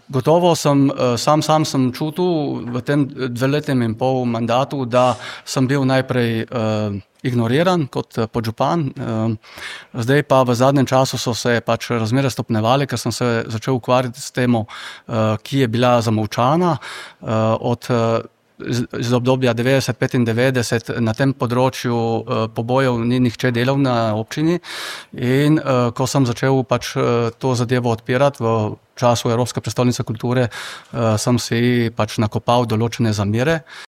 Gotovo sem, sam sem čutil v tem 2-letnem in pol mandatu, da sem bil najprej ignoriran kot podžupan. Zdaj pa v zadnjem času so se pač razmere stopnjevale, ker sem se začel ukvarjati s temo, ki je bila zamolčana, iz obdobja 90-95 na tem področju pobojev ni nihče delal na občini in ko sem začel pač to zadevo odpirati v času Evropske prestolnice kulture, sem si pač nakopal določene zamere.